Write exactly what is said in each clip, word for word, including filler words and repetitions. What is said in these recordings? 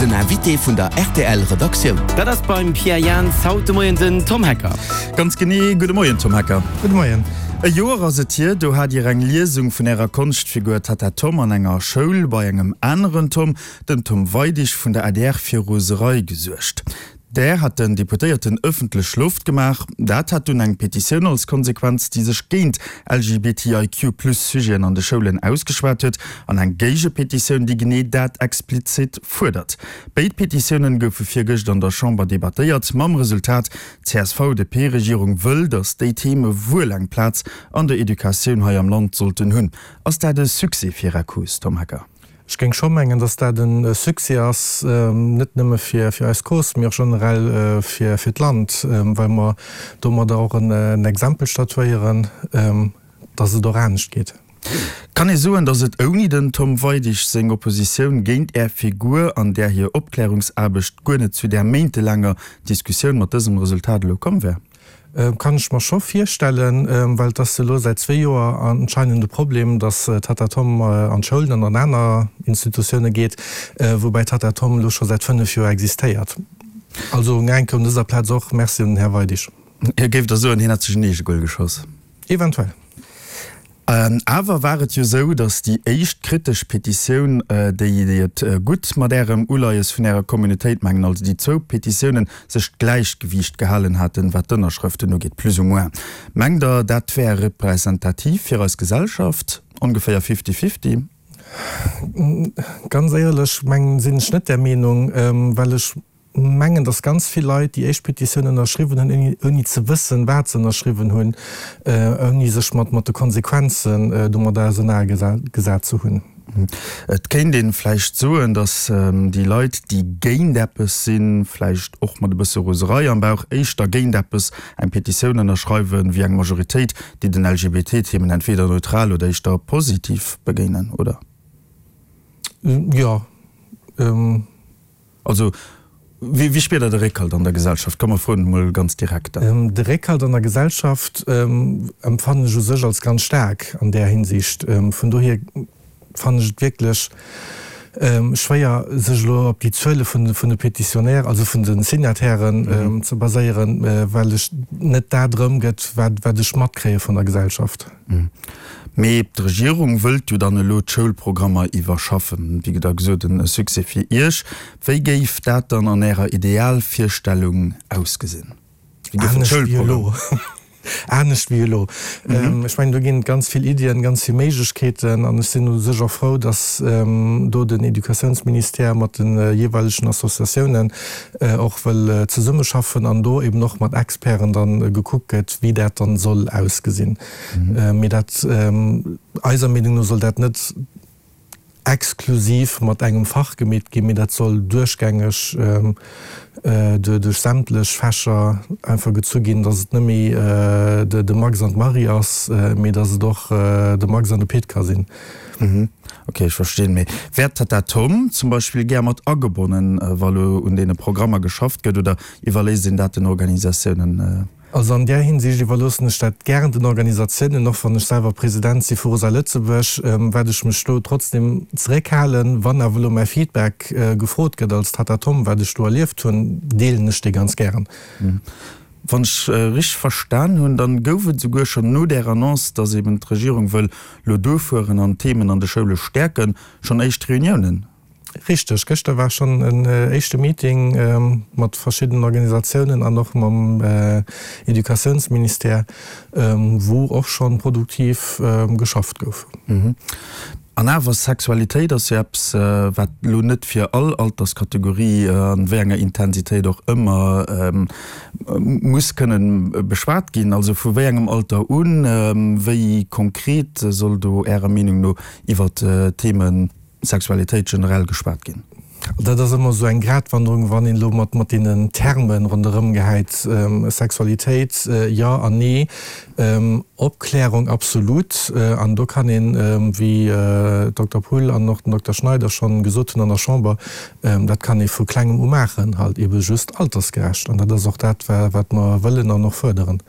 Den Invité vun der R T L Redaktioun. Dat ass beim Pierre Jans haut de Moien den Tom Hecker. Ganz genee, gudde Moien, Tom Hecker. Gudde Moien. E Joer ass et hier, do hat Dir eng Liesung vun Ärer Konschtfigur Tatta Tom an enger Schoul bei engem aneren Tom, dem Tom Weidig vun der A D R, fir Roserei gesuergt. Där hat den Deputéierten ëffentlech Loft gemaach. Dat hat dunn eng Petitioun als Konsequenz, déi sech géint L G B T I Q plus Sujeten an de Schoulen ausgeschwat huet, an eng Géigepetitioun, déi genee dat explizit fuerdert. Béid Petitiounen goufe virgëscht an der Chamber debattéiert, mam Resultat: D C S V D P-Regierung wëll, datt déi Theme wuel eng Plaz an der Educatioun hei am Land sollten hunn. Ass dat e Succès fir Är Cause, Tom Hecker? Ech géing scho mengen, datt dat e Succès ass, net nëmme fir fir eis Cause, mee och generell fir fir d'Land, well mer domadder och en Exempel statuéieren, datt et och anescht geet. Kann ee soen, datt et ouni den Tom Weidig seng Oppositioun géint Är Figur an där hir Opklärungsaarbecht guer net zu där méintelaanger Diskussioun mat dësem Resultat elo komm wär? Kann ech mer scho virstellen, well et ass elo säit zwee Joer anscheinend e Problem, datt Tatta Tom an d'Schoulen an an aner Institutioune geet, woubäi Tatta Tom elo scho säit fënnef Joer existéiert. Also eng Kéier un dëser Plaz och Merci un den Här Weidig. Hie géif da soen, hien hätt sech en Eegegol geschoss. Eventuell. Awer war et jo sou, datt déi éischt kritesch Petitioun, déi déi et gutt mat Ärem Uleies vun Ärer Communautéit mengen, also déi zwou Petitiounen sech d'Gläichgewiicht gehalen haten, wat d'Ënnerschrëften ugeet, plus ou moins. Mengt Der, dat wär representativ fir eis Gesellschaft, ongeféier fifty-fifty? Ganz éierlech mengen, sinn ech net där Meenung, well ech mengen, datt ganz vill Leit déi éischt Petitioun ënnerschriwwen hunn, ouni ze wëssen, wat se ënnerschriwwen hunn, ouni sech mat mat de Konsequenzen domadder ausernanergesat ze hunn. Et kéint ee vläicht soen, datt déi Leit, déi géint eppes sinn, vläicht och mat e bësse Roserei am Bauch, éischter géint eppes eng Petitioun ënnerschreiwen, wéi eng Majoritéit, déi den L G B T-Themen entweder neutral oder éischter positiv begéinen, oder? Jo. Also wéi wéi spiert Der de Réckhalt an der Gesellschaft? Komm, mer froen emol ganz direkt dann. De Réckhalt an der Gesellschaft empfannen ech u sech als ganz staark an där Hinsicht. Vun dohier fannen ech et wierklech schwéier, sech elo op déi Zuele vun de Petitionnaires, also vun de Signatairen ze baséieren, well ech net dat erëmgëtt, wat wat ech matkréie vun der Gesellschaft. Mee d'Regierung wëllt jo dann elo d'Schoulprogrammer iwwerschaffen. Wéi der gesot, e Succès fir Iech. Wéi géif dat dann an Ärer Idealvirstellung ausgesinn? Wéi géif den Anescht wéi Schoulprogramm elo. Anescht wéi elo. Ech mengen, do ginn et ganz vill Iddien, ganz vill Méiglechkeeten an ech sinn u sech och frou, datt do den Educatiounsministère mat de jeeweilegen Associatiounen och wëll zesummeschaffen an do eben och mat Experten dann gekuckt gëtt, wéi dat dann soll ausgesinn. Mee dat, eiser Meenung no soll dat net exklusiv mat engem Fach gemeet ginn, mee dat soll duerchgängeg duerch sämtlech Fächer einfach gezu ginn, datt et net méi de Max an d'Marie ass, mee datt et och de Max an de Pit ka sinn. Ok, ech verstinn. Mee wär d'Tatta Tom zum Beispill gär mat agebonnen, wa lo un deene Programmer geschafft gëtt, oder iwwerléisst een dat den Organisatiounen? Also an där Hinsicht iwwerloossen ech dat gären den Organisatiounen, och wann ech selwer President si vu Rosa Lëtzebuerg, wäert ech mech do trotzdem zeréckhalen. Wann awer elo mäi Feedback gefrot gëtt als Tatta Tom, wat ech do erlieft hunn, deelen ech dee ganz gären. Wann ech richteg verstan hunn, dann gouf et souguer schonn no där Annonce, dass eben d'Regierung wëll lo duerfueren an d'Themen an de Schoule stäerken, schonn éischt Reuniounen. Richteg, gëschter war schonn en éischte Meeting mat verschiddenen Organisatiounen an och mam Educatiounsministère, wou och schonn produktiv geschafft gouf. An awer, Sexualitéit ass jo eppes, wat elo net fir all Alterskategorie, an wéi enger Intensitéit och ëmmer, muss kënnen beschwat ginn. Also vu wéi engem Alter un, wéi konkret soll do Ärer Meenung no iwwert d'Themen Sexualitéit generell geschwat ginn? Dat ass ëmmer esou eng Gratwanderung, wann een elo mat mat deenen Terme ronderëm gehäit, Sexualitéit, jo an nee. Opklärung absolut. An do kann een, wéi Dokter Poull an och den Dokter Schneider schonn gesot hunn an der Chamber, dat kann ee vu Klengem u maachen, halt eebe just altersgerecht. An dat ass och dat, wat mer wëllen an och fuerderen.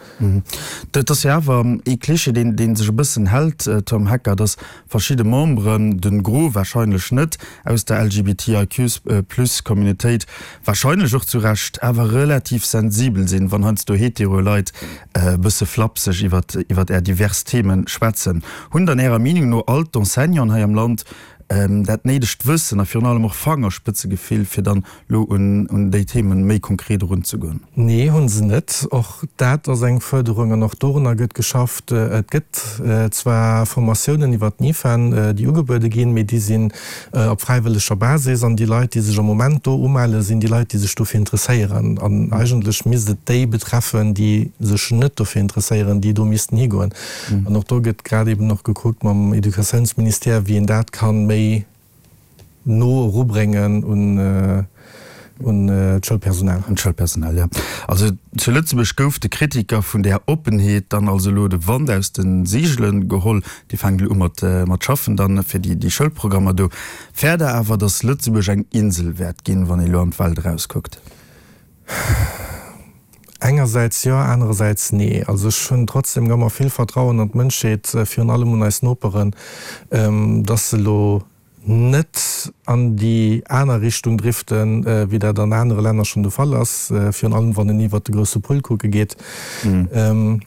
Dat ass jo awer ee Klischee, deen, dee sech e bëssen hält, Tom Hecker, dass verschidde Memberen, de Gros wahrscheinlech net, aus der LGBTIQ-plus-Communautéit, wahrscheinlech och zu Recht, awer relativ sensibel sinn, wann heiansdo hetero Leit e bësse flapseg iwwert, iwwert är divers Themen schwätzen. Hunn dann Ärer Meenung no all d'Enseignanten hei am Land dat néidegt Wëssen a virun allem och Fangerspëtzegefill, fir dann elo un, un déi Themen méi konkret erunzegoen? Nee, hu se net. Och dat ass eng Fuerderung an och dorunner gëtt geschafft. Et gëtt zwar Formatiounen iwwert d'NIFEN, déi ugebuede ginn, mee déi sinn op fräiwëlleger Basis an déi Leit, déi sech am Moment do umellen, sinn déi Leit, déi sech dofir interesséieren. An eigentlech misst et déi betreffen, déi sech net dofir interesséieren, déi do missten higoen. An och do gëtt grad eben och gekuckt mam Educatiounsministère, wéi een dat kann méi no erubréngen un un d'Schoulpersonal. Un d'Schoulpersonal, jo. Also zu Lëtzebuerg gouf de Kritiker vun där Oppenheet dann also elo de Wand aus de Seegele geholl. Déi fänkt elo u mat mat schaffen dann fir déi déi Schoulprogrammer do. Fäert Der awer, datt Lëtzebuerg eng Insel wäert ginn, wann ee elo an d'Welt erauskuckt? Engersäits jo, anerersäits nee. Also ech hunn trotzdem ëmmer vill Vertrauen an d'Mënschheet, virun allem un eis Noperen, dass se elo net an déi aner Richtung driften, wéi dat an anere Länner schonn de Fall ass, virun allem wann een iwwert de grousse Pull kucke geet. An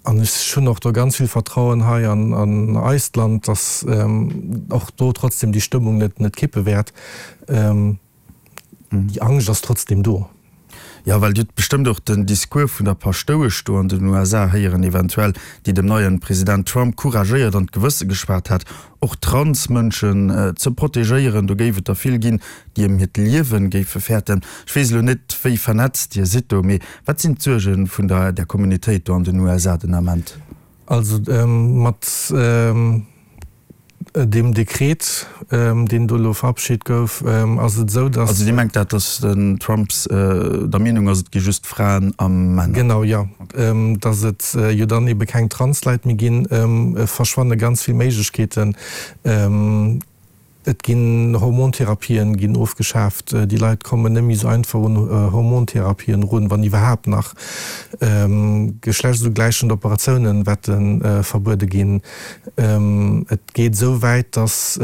ech hunn och do ganz vill Vertrauen hei an eist Land, dass och do trotzdem déi Stëmmung net net kippe wäert. Déi Angscht ass trotzdem do. Jo, well Dir hutt bestëmmt och den Discours vun der Paschtouesch do an den U S A héieren, eventuell, déi dem neien President Trump couragéiert an d'Gewësse geschwat hat, och Transmënschen ze protegéieren. Do géif et der vill ginn, déi ëm hiert Liewen géife fäerten. Ech weess elo net, wéi vernetzt Dir sidd do, mee wat sinn d'Suerge vun der där Communautéit do an den U S A den Ament? Also mat deem Dekret, deen do elo verabschit gouf, ass et esou, datt. Also Dir mengt dat, datt den Trump der Meenung ass, et gi just Fraen a Männer? Genau, jo. Datt et jo dann ebe keng Transleit méi ginn, verschwanne ganz vill Méiglechkeeten. Et ginn Hormontherapien ginn ofgeschaaft, déi Leit kommen net méi esou einfach un Hormontherapien erun, wann iwwerhaapt nach. Geschlechtugläichend Operatiounen wäerte verbuede ginn. Et geet esou wäit, datt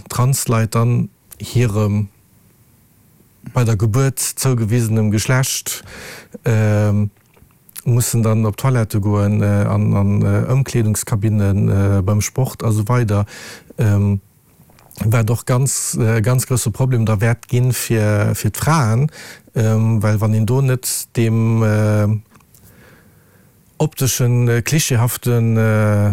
Transleit dann hirem bei der Gebuert zougewisenem Geschlecht mussen dann op d'Toilette goen, an Ëmkleedungskabinne beim Sport a sou weider. Wat och ganz e ganz grousse Problem da wäert ginn fir fir d'Fraen, well wann een do net deem opteschen klischeehaften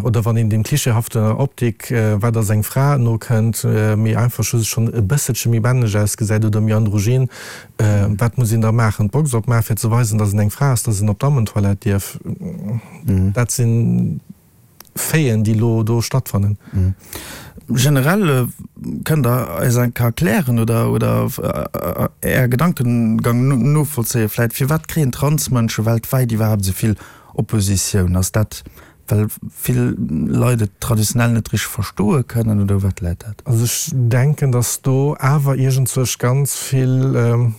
oder wann een deem klischeehaften Optik, wat ass eng Fra, nokënnt, mee einfach just schonn e bësselche méi männlech ausgesäit oder méi androgyn, wat muss een da maachen? D'Box opmaachen, fir ze weisen, datt een eng Fra ass, datt een op d'Dammentoilette dierf? Dat sinn Faiten, déi elo do stattfannen. Generell, kënnt Der eis eng Kéier erklären oder oder Är Gedankengang novollzéien vläit, firwat kréien Transmënsche weltwäit iwwerhaapt esou vill Oppositioun? Ass dat, well vill Leit et traditionell net richteg verstoe kënnen oder u wat läit dat? Also ech denken, datt do awer iergendzwousch ganz vill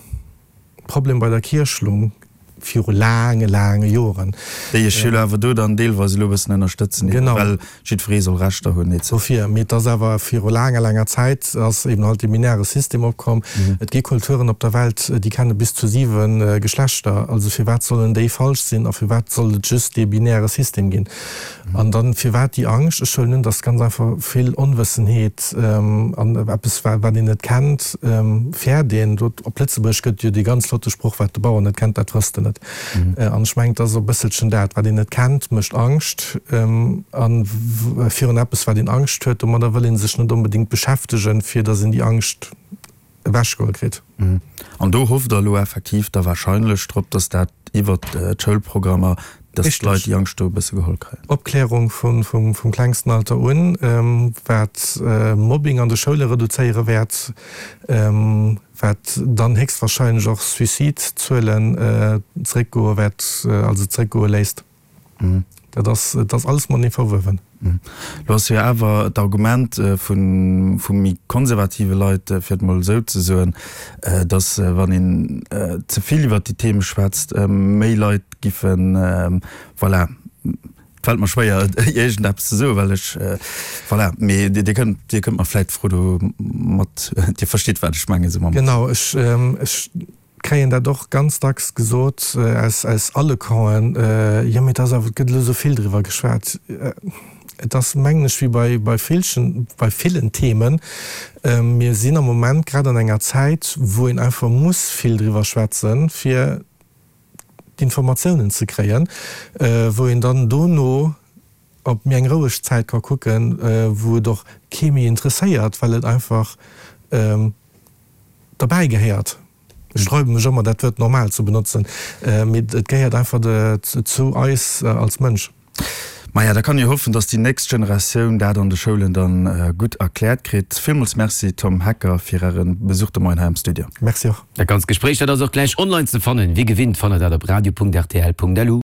Problem bei der Kierch lung. viru laange, laange Joren. Déi ech jo awer do dann deelweis elo e bëssen ënnerstëtzen, Genau. well jiddweree soll Rechter hunn et cetera. Dofir, mee et ass awer viru laanger, laanger Zäit ass eben halt dee binäre System opkomm. Et gi Kulturen op der Welt, déi kenne bis zu siwe Geschlechter. Also firwat sollen déi falsch sinn a firwat soll et just dee binäre System ginn? An dann, firwat déi Angscht? Ech huelen un, dass ganz einfach vill Onwëssenheet an eppes, wat een net kennt, fäert een. Do op Lëtzebuergesch gëtt et jo dee ganz flotte Sproch, Wat de Bauer net kennt, dat frësst en net. An ech mengen, et ass e bësselchen dat, wat een net kennt, mécht Angscht. A virun eppes, wat een Angscht huet, domadder wëll ee sech net onbedéngt beschäftegen, fir datt een déi Angscht ewechgeholl kritt. An do hofft Der elo effektiv da wahrscheinlech drop, datt dat iwwert d'Schoulprogrammer, datt d'Leit déi Angscht do e bësse geholl kréien. Opklärung vum klengsten Alter un, wat Mobbing an de Schoule reduzéiere wäert, wat dann héchstwahrscheinlech och Suicidezuelen zeréckgoe wäert, also zeréckgoe léisst. Dat ass, et ass alles matenee verwuewen. Lo ass jo awer d'Argument vu vu méi konservative Leit, fir et mol esou ze soen, datt wann een ze vill iwwert déi Theme schwätzt, méi Leit giffen, voilà, et fält mer schwéier iergendeppes ze soen, well ech, voilà, mee Dir kënnt, Dir kënnt mer vläicht d'Fro do mat, Dir verstitt wat ech mengen, esou mam. Genau, ech, ech kréien dat och ganz dacks gesot aus, aus alle Campen, jo mee et ass awer, et gëtt elo esou vill driwwer geschwat. Et ass, mengen ech, wéi bei, bei villchen, bei villen Themen, mir sinn am Moment grad an enger Zäit, wou een einfach muss vill driwwer schwätzen, fir d'Informatiounen ze kréien, wou een dann dono op méi eng roueg Zäit ka kucken, wou et och kee méi interesséiert, well et einfach derbäi gehéiert. Ech sträube mech ëmmer, dat Wuert normal ze benotzen, mee et gehéiert einfach zu eis als Mënsch. Maja, da kann ee hoffen, dass déi nächst Generatioun dat an de Schoulen dann gutt erkläert kritt. Villmools Merci, Tom Hecker, fir Äre Besuch de Moien hei am Studio. Merci och. Dat ganzt Gespréich, dat ass och gläich online ze fannen. Wéi gewinnt fannt der dat op radio.rtl.lu.